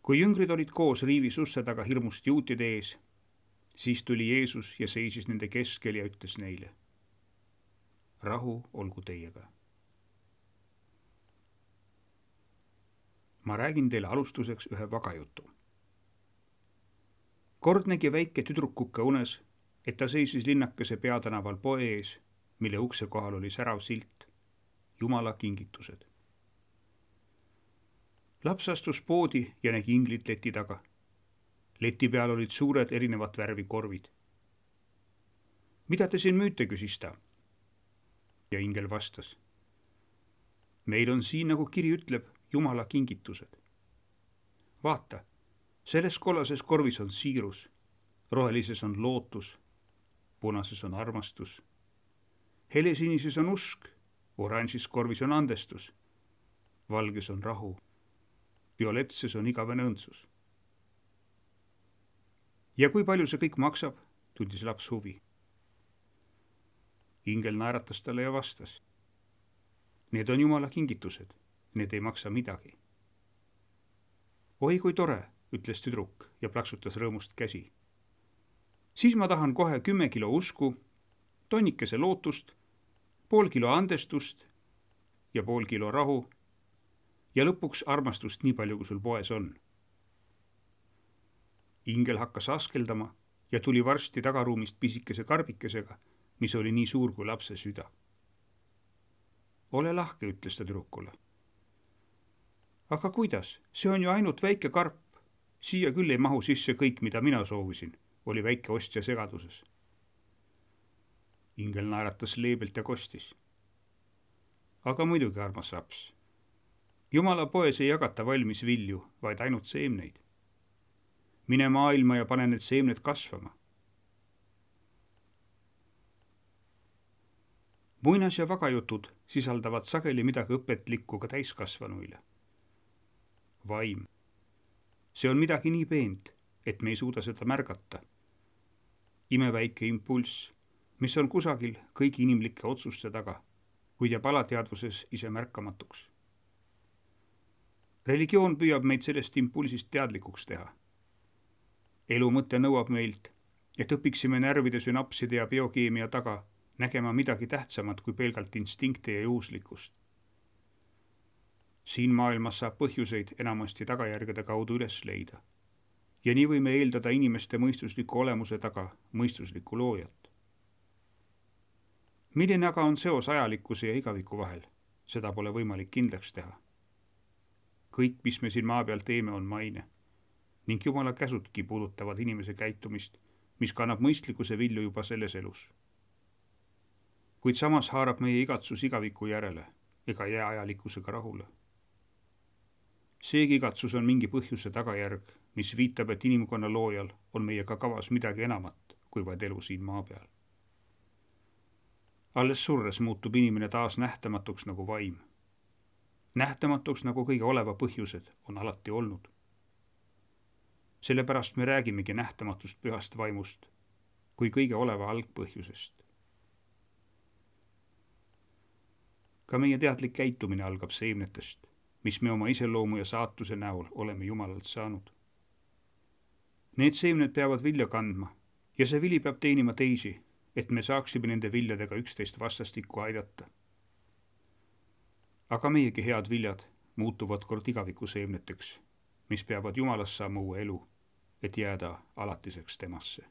Kui jüngrid olid koos riivis usse taga hirmust juutide ees, siis tuli Jeesus ja seisis nende keskel ja ütles neile: rahu olgu teiega. Ma räägin teile alustuseks ühe vagajutu. Kord nägi väike tüdrukuke unes, et ta seisis linnakese peatänaval poe ees, mille ukse kohal oli särav silt: Jumala kingitused. Laps astus poodi ja nägi inglit leti taga. Leti peal olid suured erinevat värvi korvid. Mida te siin müüte, küsis ta. Ja ingel vastas: meil on siin, nagu kiri ütleb, Jumala kingitused. Vaata, selles kollases korvis on siirus, rohelises on lootus, punases on armastus, helesinises on usk, oranžis korvis on andestus, valges on rahu, violetses on igavene õndsus. Ja kui palju see kõik maksab, tundis laps huvi. Ingel naeratas talle ja vastas: need on Jumala kingitused, need ei maksa midagi. Oi kui tore, ütles tüdruk ja plaksutas rõõmust käsi. Siis ma tahan kohe 10 kilo usku, tonnikese lootust, pool kilo andestust ja pool kilo rahu ja lõpuks armastust nii palju, kui sul poes on. Ingel hakkas askeldama ja tuli varsti tagaruumist pisikese karbikesega, mis oli nii suur kui lapse süda. Ole lahke, ütles ta tüdrukule. Aga kuidas? See on ju ainult väike karp. Siia küll ei mahu sisse kõik, mida mina soovisin, oli väike ostja segaduses. Ingel naeratas leebelt ja kostis. Aga muidugi, armas laps. Jumala poes ei jagata valmis vilju, vaid ainult seemneid. Mine maailma ja pane need seemned kasvama. Muinas- ja vagajutud sisaldavad sageli midagi õpetlikku ka täiskasvanuile. Vaim. See on midagi nii peent, et me ei suuda seda märgata. Imeväike impulss, mis on kusagil kõigi inimlike otsuste taga, kuid jääb alateadvuses ise märkamatuks. Religioon püüab meid sellest impulsist teadlikuks teha. Elu mõte nõuab meilt, et õpiksime närvide sünapside ja biokeemia taga nägema midagi tähtsamat kui pelgalt instinkte ja juhuslikkust. Siin maailmas saab põhjuseid enamasti tagajärgede kaudu üles leida. Ja nii võime eeldada inimeste mõistusliku olemuse taga mõistuslikku loojat. Milline aga on seos ajalikkuse ja igaviku vahel? Seda pole võimalik kindlaks teha. Kõik, mis me siin maa peal teeme, on maine. Ning Jumala käsudki puudutavad inimese käitumist, mis kannab mõistlikkuse vilju juba selles elus. Kuid samas haarab meie igatsus igaviku järele ega jää ajalikkusega rahule. Seegi igatsus on mingi põhjuse tagajärg, mis viitab, et inimkonna loojal on meiega kavas midagi enamat kui vaid elu siin maa peal. Alles surres muutub inimene taas nähtamatuks nagu vaim. Nähtamatuks nagu kõige oleva põhjused on alati olnud. Sellepärast me räägimegi nähtamatust pühast vaimust kui kõige oleva algpõhjusest. Ka meie teadlik käitumine algab seemnetest, mis me oma iseloomu ja saatuse näol oleme Jumalalt saanud. Need seemned peavad vilja kandma ja see vili peab teenima teisi, et me saaksime nende viljadega üksteist vastastikku aidata. Aga meiegi head viljad muutuvad kord igaviku seemneteks, mis peavad Jumalast saama uue elu, et jääda alatiseks temasse.